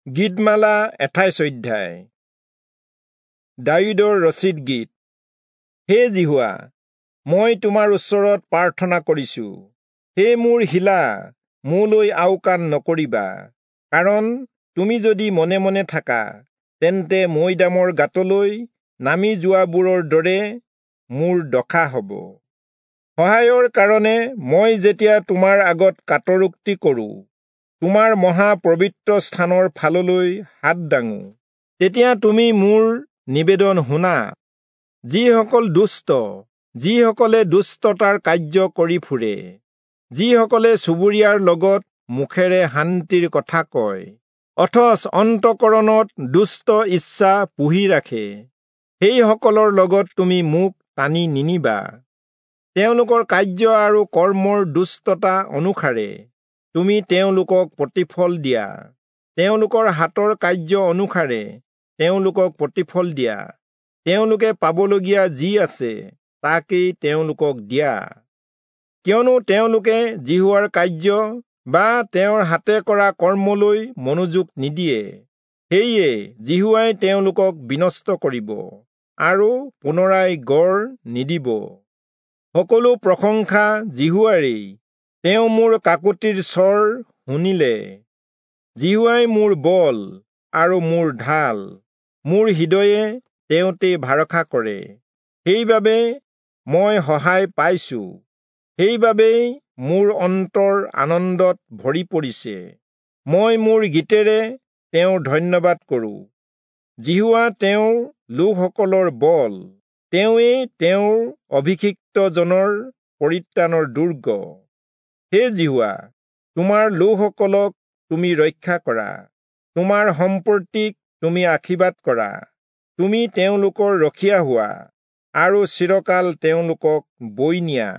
গীতমালা 28 অধ্যায়। দায়ূদৰ ৰচিত গীত। হে যিহোৱা, মই তোমাৰ ওচৰত প্ৰাৰ্থনা কৰিছো। হে মোৰ শিলা, মোলৈ আওকাণ নকৰিবা, কাৰণ তুমি যদি মনে মনে থাকা, তেন্তে মৈদামৰ গাঁতলৈ নামি যোৱাবোৰৰ দৰে মোৰ দশা হ'ব। সহায়ৰ কাৰণে মই যেতিয়া তোমাৰ আগত কাতৰোক্তি কৰোঁ, তোমাৰ মহা পবিত্ৰ স্থানৰ ফাললৈ হাত দাঙো, তেতিয়া তুমি মোৰ নিবেদন শুনা। যিসকল দুষ্ট, যিসকলে দুষ্টতাৰ কাৰ্য কৰি ফুৰে, যিসকলে চুবুৰীয়াৰ লগত মুখেৰে শান্তিৰ কথা কয়, অথচ অন্তঃকৰণত দুষ্ট ইচ্ছা পুহি ৰাখে, সেইসকলৰ লগত তুমি মোক টানি নিনিবা। তেওঁলোকৰ কাৰ্য আৰু কৰ্মৰ দুষ্টতা অনুসাৰে তুমি তেওঁলোকক প্ৰতিফল দিয়া, তেওঁলোকৰ হাতৰ কাৰ্য অনুসাৰে তেওঁলোকক প্ৰতিফল দিয়া। তেওঁলোকে পাবলগীয়া যি আছে তাকেই তেওঁলোকক দিয়া, কিয়নো তেওঁলোকে যিহোৱাৰ কাৰ্য বা তেওঁৰ হাতে কৰা কৰ্মলৈ মনোযোগ নিদিয়ে। সেয়ে যিহোৱাই তেওঁলোকক বিনষ্ট কৰিব আৰু পুনৰাই গঢ় নিদিব। সকলো প্ৰশংসা যিহোৱাৰেই, তেওঁ মোৰ কাকুতিৰ স্বৰ শুনিলে। যিহোৱাই মোৰ বল আৰু মোৰ ঢাল, মোৰ হৃদয়ে তেওঁতেই ভৰসা কৰে, সেইবাবে মই সহায় পাইছো। সেইবাবেই মোৰ অন্তৰ আনন্দত ভৰি পৰিছে, মই মোৰ গীতেৰে তেওঁৰ ধন্যবাদ কৰোঁ। যিহোৱা তেওঁৰ লোকসকলৰ বল, তেওঁৱেই তেওঁৰ অভিষিক্তজনৰ পৰিত্ৰাণৰ দুৰ্গ। হে যিহোৱা, তোমাৰ লোকসকলক তুমি ৰক্ষা কৰা, তোমাৰ সম্পত্তিক তুমি আশীৰ্বাদ কৰা। তুমি তেওঁলোকৰ ৰখীয়া হোৱা আৰু চিৰকাল তেওঁলোকক বৈ নিয়া।